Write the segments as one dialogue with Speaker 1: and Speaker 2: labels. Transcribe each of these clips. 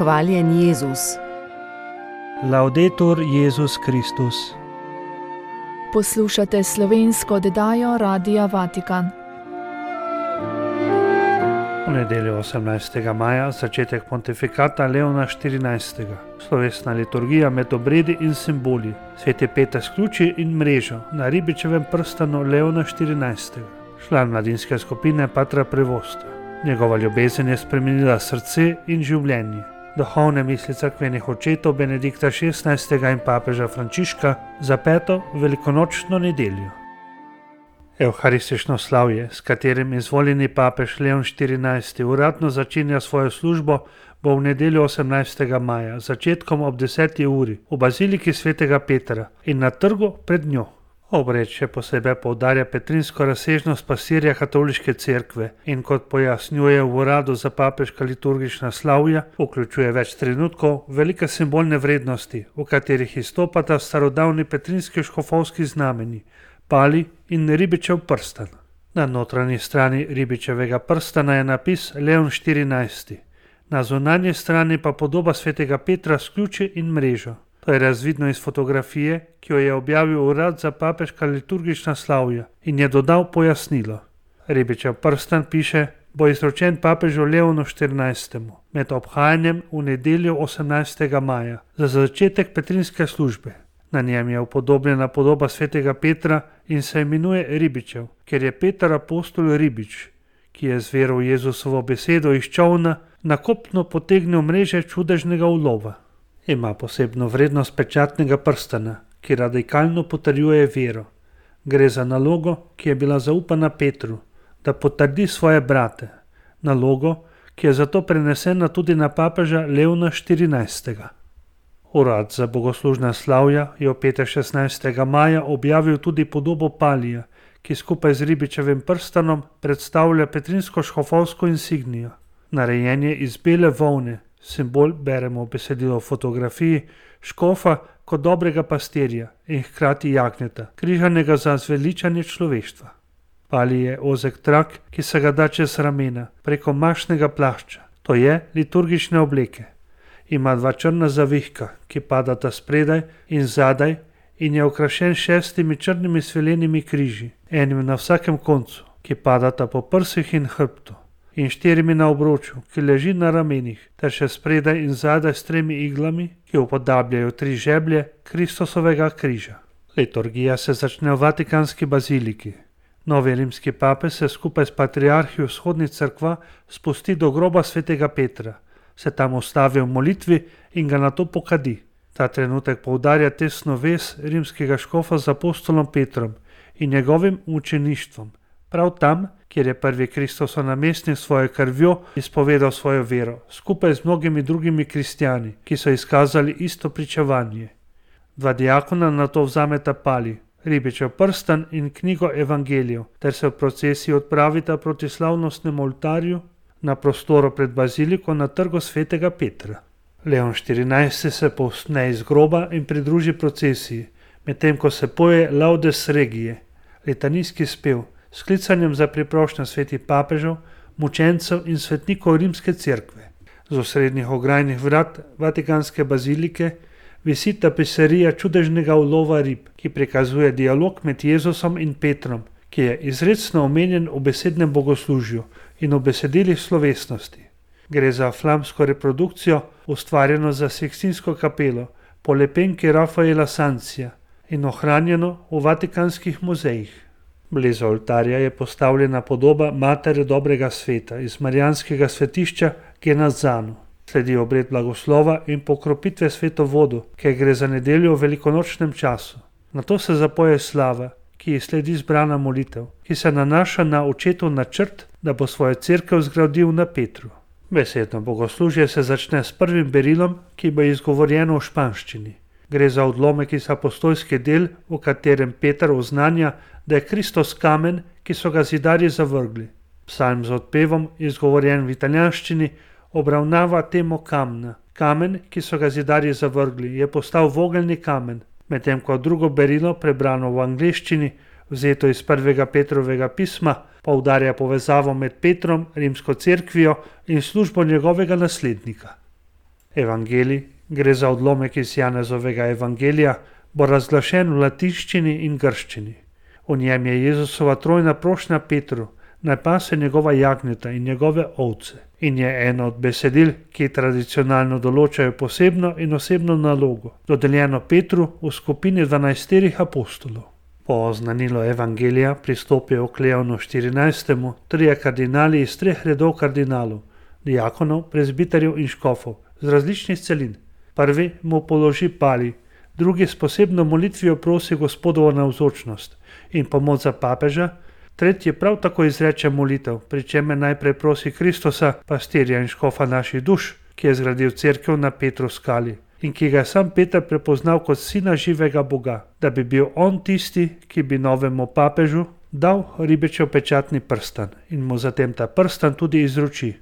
Speaker 1: Hvaljen Jezus.
Speaker 2: Laudetur Jezus Kristus.
Speaker 3: Poslušate slovensko oddajo Radia Vatikan.
Speaker 2: V nedeljo 18. maja začetek pontifikata Leona XIV. Slovesna liturgija med obredi in simboli. Sveti Peter sključi in mrežo na ribičevem prstanu Leona XIV. Član mladinske skupine Patra Prevosta. Njegova ljubezen je spremenila srce in življenje. Duhovne misli cerkvenih očetov Benedikta XVI. In papeža Frančiška za 5. velikonočno nedeljo. Evharistično slavje, s katerim izvoljeni papež Leon XIV. Uradno začenja svojo službo, bo v nedeljo 18. maja, začetkom ob 10. uri, v baziliki svetega Petra in na trgu pred njo. Obred še posebej poudarja petrinsko razsežnost pastirja katoliške cerkve in kot pojasnjuje v uradu za papeška liturgična slavja, vključuje več trenutkov velike simbolne vrednosti, v katerih izstopata starodavni petrinski škofovski znameni, pali in ribičev prstan. Na notranji strani ribičevega prstana je napis Leon XIV. Na zunanji strani pa podoba svetega Petra s ključi in mrežo. To je razvidno iz fotografije, ki jo je objavil urad za papeška liturgična slavja in je dodal pojasnilo. Ribičev prstan, piše, bo izročen papežu Leonu XIV. Med obhajanjem v nedeljo 18. maja za začetek petrinske službe. Na njem je upodobljena podoba svetega Petra in se imenuje Ribičev, ker je Peter apostol Ribič, ki je z vero v Jezusovo besedo iz čolna na kopno potegnil mreže čudežnega ulova. Ima posebno vrednost pečatnega prstana, ki radikalno potrjuje vero. Gre za nalogo, ki je bila zaupana Petru, da potrdi svoje brate. Nalogo, ki je zato prenesena tudi na papeža Leona XIV. Urad za bogoslužna slavja je v petek 16. maja objavil tudi podobo palija, ki skupaj z ribičevim prstanom predstavlja petrinsko škofovsko insignijo. Narejen je iz bele volne. Simbol beremo v besedilo v fotografiji škofa kot dobrega pastirja in hkrati jagnjeta, križanega za zveličanje človeštva. Pali je ozek trak, ki se ga da čez ramena, preko mašnega plašča, to je liturgične obleke. Ima dva črna zavihka, ki padata spredaj in zadaj in je okrašen 6 črnimi svilenimi križi, enim na vsakem koncu, ki padata po prsih in hrbtu. In 4 na obroču, ki leži na ramenih, ter še spredaj in zadaj s 3 iglami, ki upodabljajo 3 žeblje Kristusovega križa. Liturgija se začne v Vatikanski baziliki. Novi rimski pape se skupaj s patriarhi vzhodnih cerkva spusti do groba svetega Petra, se tam ustavi v molitvi in ga nato pokadi. Ta trenutek poudarja tesno vez rimskega škofa z apostolom Petrom in njegovim učeništvom. Prav tam, kjer je prvi Kristusov namestnik svojo krvjo izpovedal svojo vero, skupaj z mnogimi drugimi kristjani, ki so izkazali isto pričevanje. 2 diakona nato vzameta pali, ribičev prstan in knjigo evangelijev, ter se v procesiji odpravita proti slavnostnemu oltarju na prostoru pred baziliko na trgu svetega Petra. Leon XIV. Se povzpne iz groba in pridruži procesiji, medtem ko se poje Laudes Regije, litanijski spev, s klicanjem za priprošnjo svetih papežev, mučencev in svetnikov rimske cerkve. Z osrednjih ograjnih vrat Vatikanske bazilike visi tapiserija čudežnega ulova rib, ki prikazuje dialog med Jezusom in Petrom, ki je izrecno omenjen v besednem bogoslužju in v besedilih slovesnosti. Gre za flamsko reprodukcijo, ustvarjeno za Sikstinsko kapelo po lepenki Rafaela Sancija in ohranjeno v vatikanskih muzejih. Blizu oltarja je postavljena podoba Matere dobrega sveta iz marijanskega svetišča Genazzano. Sledi obred blagoslova in pokropitve svetovodu, ker gre za nedeljo v velikonočnem času. Nato se zapoje slava, ki ji sledi zbrana molitev, ki se nanaša na očetov načrt, da bo svojo cerkev zgradil na Petru. Besedno bogoslužje se začne s prvim berilom, ki bo izgovorjeno v španščini. Gre za odlomek iz apostolskih del, v katerem Peter oznanja, da je Kristus kamen, ki so ga zidarji zavrgli. Psalm z odpevom, izgovorjen v italijanščini, obravnava temo kamna. Kamen, ki so ga zidarji zavrgli, je postal vogelni kamen, medtem ko drugo berilo, prebrano v angleščini, vzeto iz 1. Petrovega pisma, poudarja povezavo med Petrom, rimsko cerkvijo in službo njegovega naslednika. Evangelij, gre za odlomek iz Janezovega evangelija, bo razglašen v latinščini in grščini. V njem je Jezusova trojna prošnja Petru, naj pase njegova jagnjeta in njegove ovce, in je eno od besedil, ki tradicionalno določajo posebno in osebno nalogo, dodeljeno Petru v skupini 12 apostolov. Po oznanilu evangelija pristopijo k Leonu 14. trije kardinali iz 3 redov kardinalov, diakonov, prezbiterjev in škofov z različnih celin. Prvi mu položi pali, drugi s posebno molitvijo prosi Gospodovo navzočnost in pomoč za papeža, tretji prav tako izreče molitev, pri čemer najprej prosi Kristusa, pastirja in škofa naših duš, ki je zgradil cerkev na Petru skali in ki ga je sam Peter prepoznal kot sina živega Boga, da bi bil on tisti, ki bi novemu papežu dal ribičev pečatni prstan in mu zatem ta prstan tudi izroči.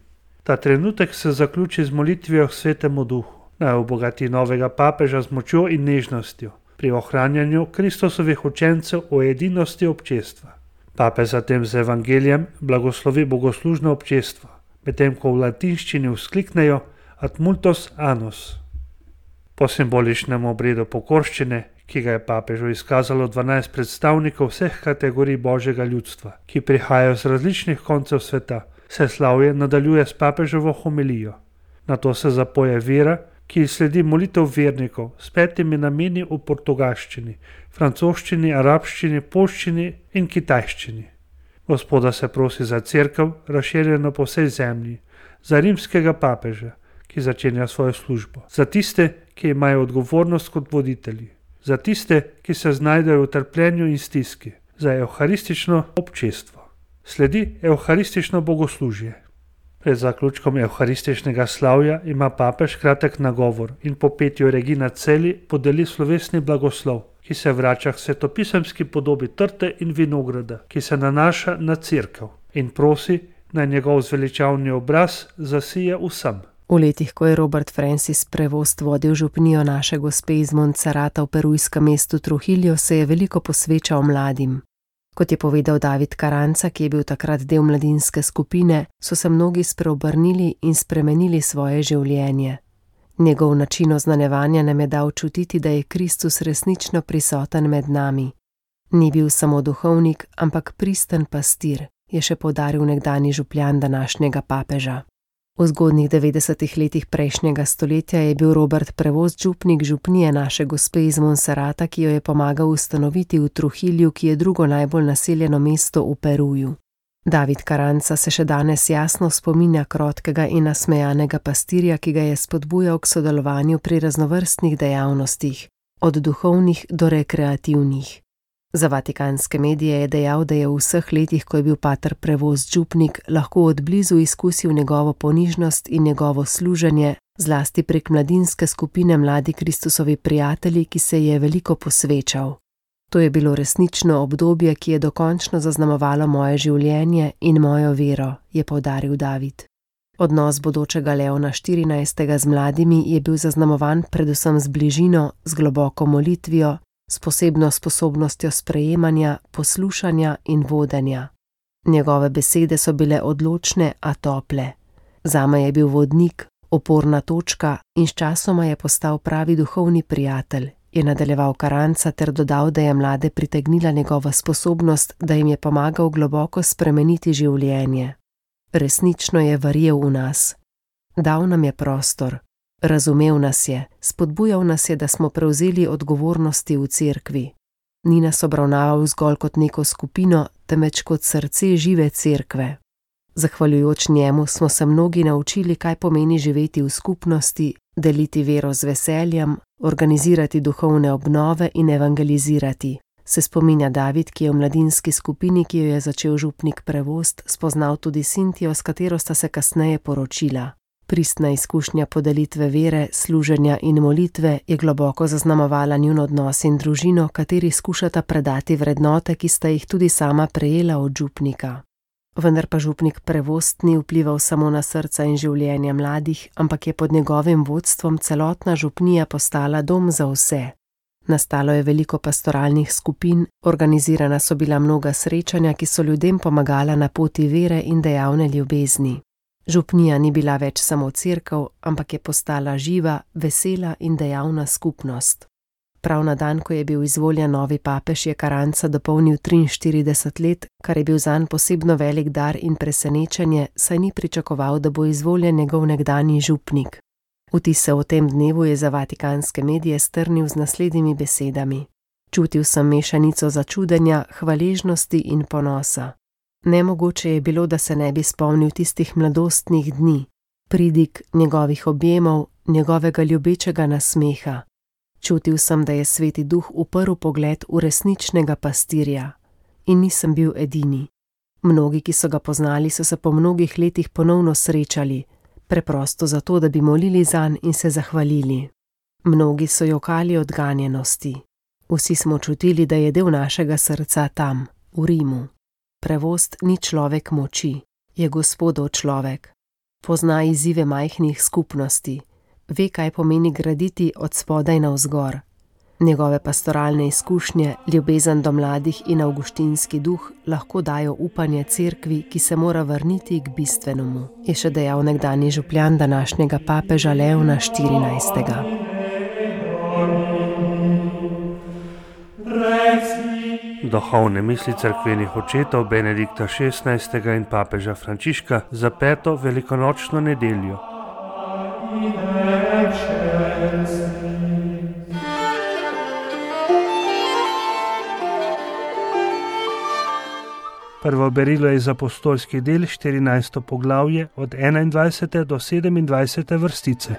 Speaker 2: Ta trenutek se zaključi z molitvijo k Svetemu Duhu, naj obogati novega papeža z močjo in nežnostjo pri ohranjanju Kristusovih učencev v edinosti občestva. Papež zatem z evangelijem blagoslovi bogoslužno občestvo, medtem ko v latinščini vzkliknejo ad multos annos. Po simboličnem obredu pokorščine, ki ga je papežu izkazalo 12 predstavnikov vseh kategorij božjega ljudstva, ki prihajajo z različnih koncev sveta, se slavje nadaljuje s papeževo homilijo. Nato se zapoje vera, ki sledi molitev vernikov s 5 nameni v portugalščini, francoščini, arabščini, poljščini in kitajščini. Gospoda se prosi za cerkev, razširjeno po vsej zemlji, za rimskega papeža, ki začenja svojo službo, za tiste, ki imajo odgovornost kot voditelji, za tiste, ki se znajdejo v trpljenju in stiski, za evharistično občestvo. Sledi evharistično bogoslužje. Pred zaključkom evharističnega slavja ima papež kratek nagovor in po petju Regina Celi podeli slovesni blagoslov, ki se vrača k svetopisemski podobi trte in vinograda, ki se nanaša na cerkev in prosi, naj njegov zveličavni obraz zasije vsem.
Speaker 1: V letih, ko je Robert Francis Prevost vodil župnijo Naše Gospe iz Montserrata v perujskem mestu Trujillo, se je veliko posvečal mladim. Kot je povedal David Karanca, ki je bil takrat del mladinske skupine, so se mnogi spreobrnili in spremenili svoje življenje. Njegov način oznanjevanja nam je dal čutiti, da je Kristus resnično prisoten med nami. Ni bil samo duhovnik, ampak pristen pastir, je še poudaril nekdanji župljan današnjega papeža. V zgodnjih 90. letih prejšnjega stoletja je bil Robert Prevost župnik župnije Naše Gospe iz Montserrata, ki jo je pomagal ustanoviti v Trujillu, ki je drugo najbolj naseljeno mesto v Peruju. David Karanca se še danes jasno spominja krotkega in nasmejanega pastirja, ki ga je spodbujal k sodelovanju pri raznovrstnih dejavnostih, od duhovnih do rekreativnih. Za vatikanske medije je dejal, da je v vseh letih, ko je bil pater Prevost župnik, lahko od blizu izkusil njegovo ponižnost in njegovo služenje, zlasti prek mladinske skupine Mladi Kristusovi prijatelji, ki se je veliko posvečal. To je bilo resnično obdobje, ki je dokončno zaznamovalo moje življenje in mojo vero, je poudaril David. Odnos bodočega Leona 14. z mladimi je bil zaznamovan predvsem z bližino, z globoko molitvijo, s posebno sposobnostjo sprejemanja, poslušanja in vodenja. Njegove besede so bile odločne, a tople. Zame je bil vodnik, oporna točka in sčasoma je postal pravi duhovni prijatelj, je nadaljeval Karanca ter dodal, da je mlade pritegnila njegova sposobnost, da jim je pomagal globoko spremeniti življenje. Resnično je verjel v nas. Dal nam je prostor. Razumel nas je, spodbujal nas je, da smo prevzeli odgovornosti v cerkvi. Ni nas obravnaval zgolj kot neko skupino, temveč kot srce žive cerkve. Zahvaljujoč njemu smo se mnogi naučili, kaj pomeni živeti v skupnosti, deliti vero z veseljem, organizirati duhovne obnove in evangelizirati. Se spominja David, ki je v mladinski skupini, ki jo je začel župnik Prevost, spoznal tudi Sintijo, s katero sta se kasneje poročila. Pristna izkušnja podelitve vere, služenja in molitve je globoko zaznamovala njun odnos in družino, kateri skušata predati vrednote, ki sta jih tudi sama prejela od župnika. Vendar pa župnik Prevost ni vplival samo na srca in življenja mladih, ampak je pod njegovim vodstvom celotna župnija postala dom za vse. Nastalo je veliko pastoralnih skupin, organizirana so bila mnoga srečanja, ki so ljudem pomagala na poti vere in dejavne ljubezni. Župnija ni bila več samo cerkev, ampak je postala živa, vesela in dejavna skupnost. Prav na dan, ko je bil izvoljen novi papež, je Caranza dopolnil 43 let, kar je bil zanj posebno velik dar in presenečenje, saj ni pričakoval, da bo izvoljen njegov nekdanji župnik. Vtise o tem dnevu je za vatikanske medije strnil z naslednjimi besedami. Čutil sem mešanico začudenja, hvaležnosti in ponosa. Nemogoče je bilo, da se ne bi spomnil tistih mladostnih dni, pridig njegovih objemov, njegovega ljubečega nasmeha. Čutil sem, da je Sveti Duh uprl pogled v resničnega pastirja. In nisem bil edini. Mnogi, ki so ga poznali, so se po mnogih letih ponovno srečali, preprosto zato, da bi molili zanj in se zahvalili. Mnogi so jokali od ganjenosti. Vsi smo čutili, da je del našega srca tam, v Rimu. Prevost ni človek moči, je Gospodov človek. Pozna izzive majhnih skupnosti. Ve, kaj pomeni graditi od spodaj navzgor. Njegove pastoralne izkušnje, ljubezen do mladih in avguštinski duh lahko dajo upanje cerkvi, ki se mora vrniti k bistvenemu, je še dejal nekdanji župljan današnjega papeža Leona XIV.
Speaker 2: Duhovne misli cerkvenih očetov Benedikta XVI. In papeža Frančiška za 5. velikonočno nedeljo. Prvo berilo je iz apostolskih del 14. poglavje od 21. do 27. vrstice.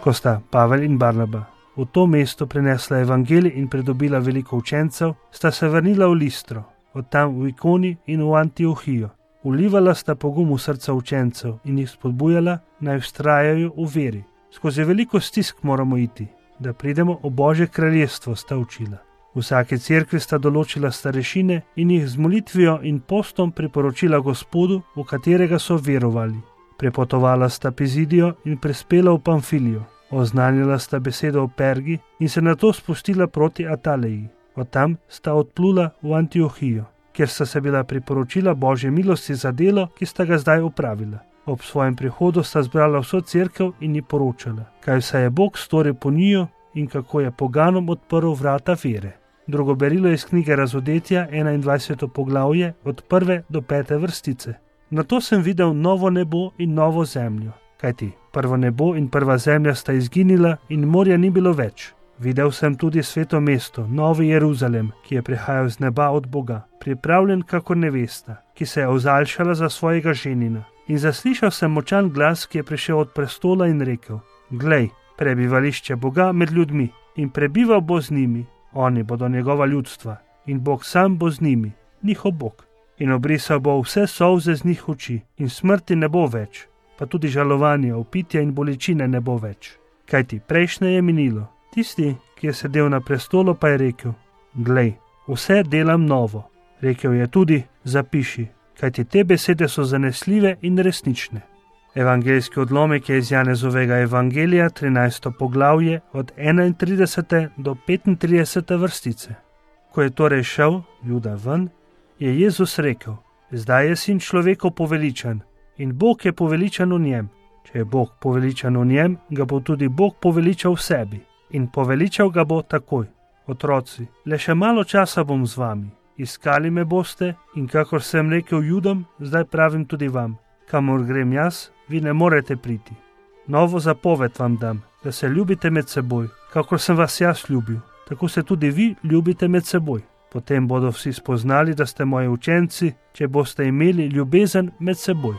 Speaker 2: Ko sta Pavel in Barnaba v to mesto prinesla evangelij in pridobila veliko učencev, sta se vrnila v Listro, od tam v Ikoni in v Antiohijo. Vlivala sta pogum v srca učencev in jih spodbujala, naj vztrajajo v veri. Skozi veliko stisk moramo iti, da pridemo v Božje kraljestvo, sta učila. V vsaki cerkvi sta določila starešine in jih z molitvijo in postom priporočila Gospodu, v katerega so verovali. Prepotovala sta Pizidijo in prispela v Pamfilijo. Oznanjala sta besedo v Pergi in se nato spustila proti Ataleji. Od tam sta odplula v Antiohijo, kjer sta se bila priporočila Božje milosti za delo, ki sta ga zdaj opravila. Ob svojem prihodu sta zbrala vso cerkev in ji poročala, kaj vse je Bog storil po njiju in kako je poganom odprl vrata vere. Drugo berilo je iz knjige Razodetja, 21. poglavje, od 1. do 5. vrstice. Nato sem videl novo nebo in novo zemljo, kajti prvo nebo in prva zemlja sta izginila in morja ni bilo več. Videl sem tudi sveto mesto, Novi Jeruzalem, ki je prihajal z neba od Boga, pripravljen kakor nevesta, ki se je ozaljšala za svojega ženina. In zaslišal sem močan glas, ki je prišel od prestola in rekel: Glej, prebivališče Boga med ljudmi in prebival bo z njimi. Oni bodo njegova ljudstva in Bog sam bo z njimi, njihov Bog. In obrisal bo vse solze z njih oči in smrti ne bo več, pa tudi žalovanja, opitja in bolečine ne bo več. Kajti prejšnje je minilo. Tisti, ki je sedel na prestolu, pa je rekel: Glej, vse delam novo. Rekel je tudi: Zapiši, kajti te besede so zanesljive in resnične. Evangeljski odlomek je iz Janezovega evangelija, 13. poglavje, od 31. do 35. vrstice. Ko je torej šel Juda ven, je Jezus rekel: Zdaj je sin človekov poveličan in Bog je poveličan v njem. Če je Bog poveličan v njem, ga bo tudi Bog poveličal v sebi. In poveličal ga bo takoj. Otroci, le še malo časa bom z vami. Iskali me boste in kakor sem rekel Judom, zdaj pravim tudi vam. Kamor grem jaz, vi ne morete priti. Novo zapoved vam dam, da se ljubite med seboj, kakor sem vas jaz ljubil. Tako se tudi vi ljubite med seboj. Potem bodo vsi spoznali, da ste moji učenci, če boste imeli ljubezen med seboj.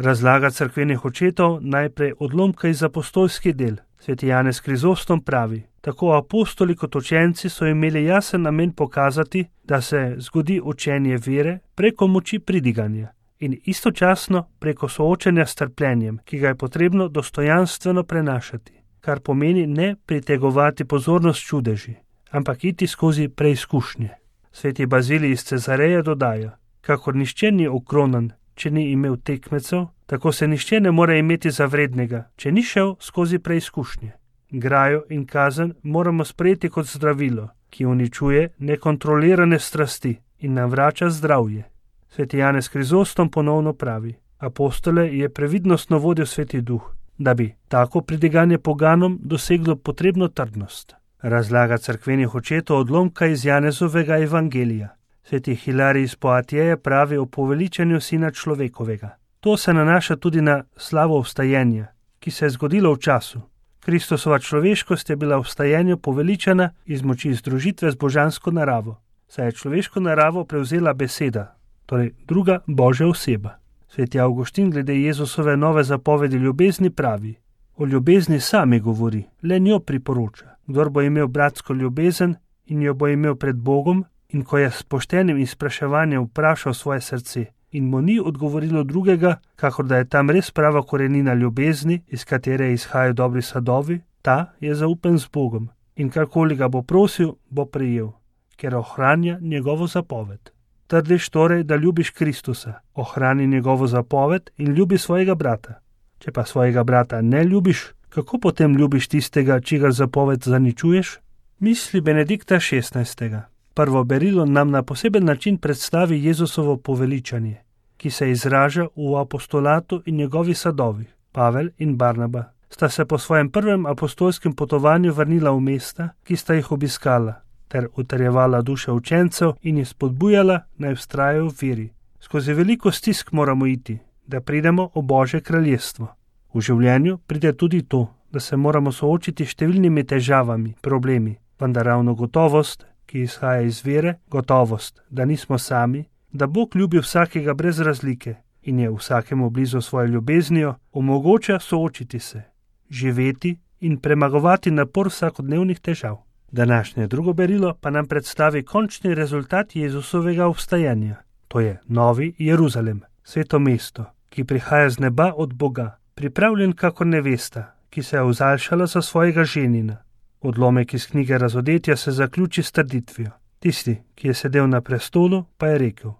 Speaker 2: Razlaga cerkvenih očetov najprej odlomka iz apostolskih del. Sveti Janez Krizostom pravi: Tako apostoli kot učenci so imeli jasen namen pokazati, da se zgodi učenje vere preko moči pridiganja in istočasno preko soočenja s trpljenjem, ki ga je potrebno dostojanstveno prenašati, kar pomeni ne pritegovati pozornost čudeži, ampak iti skozi preizkušnje. Sveti Bazilij iz Cezareje dodaja: Kakor nihče ni okronan, če ni imel tekmecev, tako se nihče ne more imeti za vrednega, če ni šel skozi preizkušnje. Grajo in kazen moramo sprejeti kot zdravilo, ki uničuje nekontrolirane strasti in nam vrača zdravje. Sveti Janez Krizostom ponovno pravi: apostole je previdnostno vodil Sveti Duh, da bi tako pridiganje poganom doseglo potrebno trdnost. Razlaga cerkvenih očetov odlomka iz Janezovega evangelija. Sveti Hilarij iz Poatjeja pravi o poveličanju Sina človekovega. To se nanaša tudi na slavo vstajenja, ki se je zgodilo v času. Kristusova človeškost je bila v vstajenju poveličana iz moči združitve z božansko naravo, saj je človeško naravo prevzela beseda, torej druga Božja oseba. Sveti Avguštin glede Jezusove nove zapovedi ljubezni pravi: o ljubezni sami govori, le njo priporoča. Kdor bo imel bratsko ljubezen in jo bo imel pred Bogom, in ko je s poštenim izpraševanjem vprašal svoje srce in mu ni odgovorilo drugega, kakor da je tam res prava korenina ljubezni, iz katere izhajajo dobri sadovi, ta je zaupen z Bogom in karkoli ga bo prosil, bo prejel, ker ohranja njegovo zapoved. Trdiš torej, da ljubiš Kristusa, ohrani njegovo zapoved in ljubi svojega brata. Če pa svojega brata ne ljubiš, kako potem ljubiš tistega, čigar zapoved zaničuješ? Misli Benedikta XVI. Prvo berilo nam na poseben način predstavi Jezusovo poveličanje, ki se izraža v apostolatu in njegovi sadovih. Pavel in Barnaba sta se po svojem prvem apostolskem potovanju vrnila v mesta, ki sta jih obiskala, ter utrjevala duše učencev in jih spodbujala, naj vztrajajo v veri. Skozi veliko stisk moramo iti, da pridemo v Božje kraljestvo. V življenju pride tudi to, da se moramo soočiti s številnimi težavami, problemi, vendar ravno gotovost, ki izhaja iz vere, gotovost, da nismo sami, da Bog ljubi vsakega brez razlike in je vsakemu blizu svojo ljubeznijo, omogoča soočiti se, živeti in premagovati napor vsakodnevnih težav. Današnje drugo berilo pa nam predstavi končni rezultat Jezusovega vstajanja. To je Novi Jeruzalem, sveto mesto, ki prihaja z neba od Boga, pripravljen kakor nevesta, ki se je vzaljšala za svojega ženina. Odlomek iz knjige Razodetja se zaključi s trditvijo. Tisti, ki je sedel na prestolu, pa je rekel: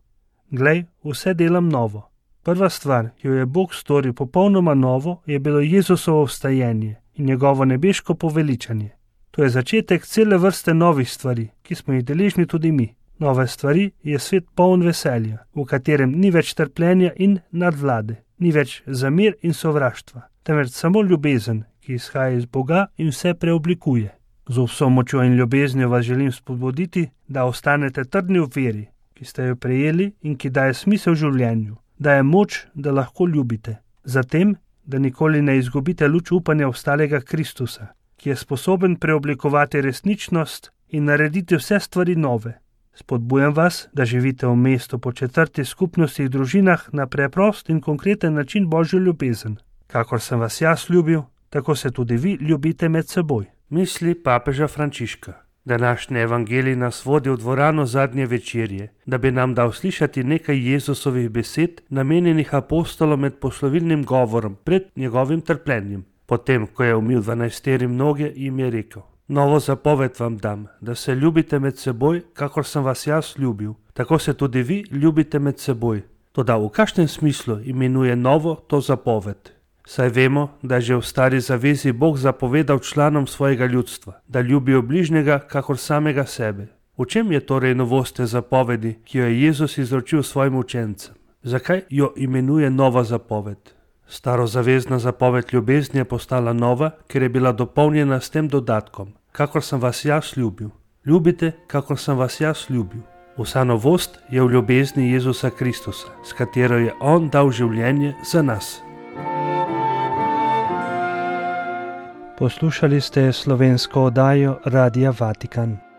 Speaker 2: glej, vse delam novo. Prva stvar, ki jo je Bog storil popolnoma novo, je bilo Jezusovo vstajenje in njegovo nebeško poveličanje. To je začetek cele vrste novih stvari, ki smo jih deležni tudi mi. Nove stvari je svet poln veselja, v katerem ni več trpljenja in nadvlade, ni več zamir in sovraštva, temveč samo ljubezen, ki izhaja iz Boga in vse preoblikuje. Z vso močjo in ljubeznijo vas želim spodbuditi, da ostanete trdni v veri, ki ste jo prejeli in ki daje smisel življenju, daje moč, da lahko ljubite. Zatem, da nikoli ne izgubite luč upanja ostalega Kristusa, ki je sposoben preoblikovati resničnost in narediti vse stvari nove. Spodbujam vas, da živite v mestu po četrti skupnosti in družinah na preprost in konkreten način Božjo ljubezen. Kakor sem vas jaz ljubil, tako se tudi vi ljubite med seboj. Misli papeža Frančiška. Današnji evangelij nas vodi v dvorano zadnje večerje, da bi nam dal slišati nekaj Jezusovih besed, namenjenih apostolom med poslovilnim govorom pred njegovim trpljenjem. Potem, ko je umil 12 noge, jim je rekel: novo zapoved vam dam, da se ljubite med seboj, kakor sem vas jaz ljubil, tako se tudi vi ljubite med seboj. Toda v kakšnem smislu imenuje novo to zapoved? Saj vemo, da je že v stari zavezi Bog zapovedal članom svojega ljudstva, da ljubijo bližnjega kakor samega sebe. V čem je torej novost te zapovedi, ki jo je Jezus izročil svojim učencem? Zakaj jo imenuje nova zapoved? Starozavezna zapoved ljubezni je postala nova, ker je bila dopolnjena s tem dodatkom: kakor sem vas jaz ljubil. Ljubite, kakor sem vas jaz ljubil. Vsa novost je v ljubezni Jezusa Kristusa, s katero je On dal življenje za nas. Poslušali ste slovensko oddajo Radia Vatikan.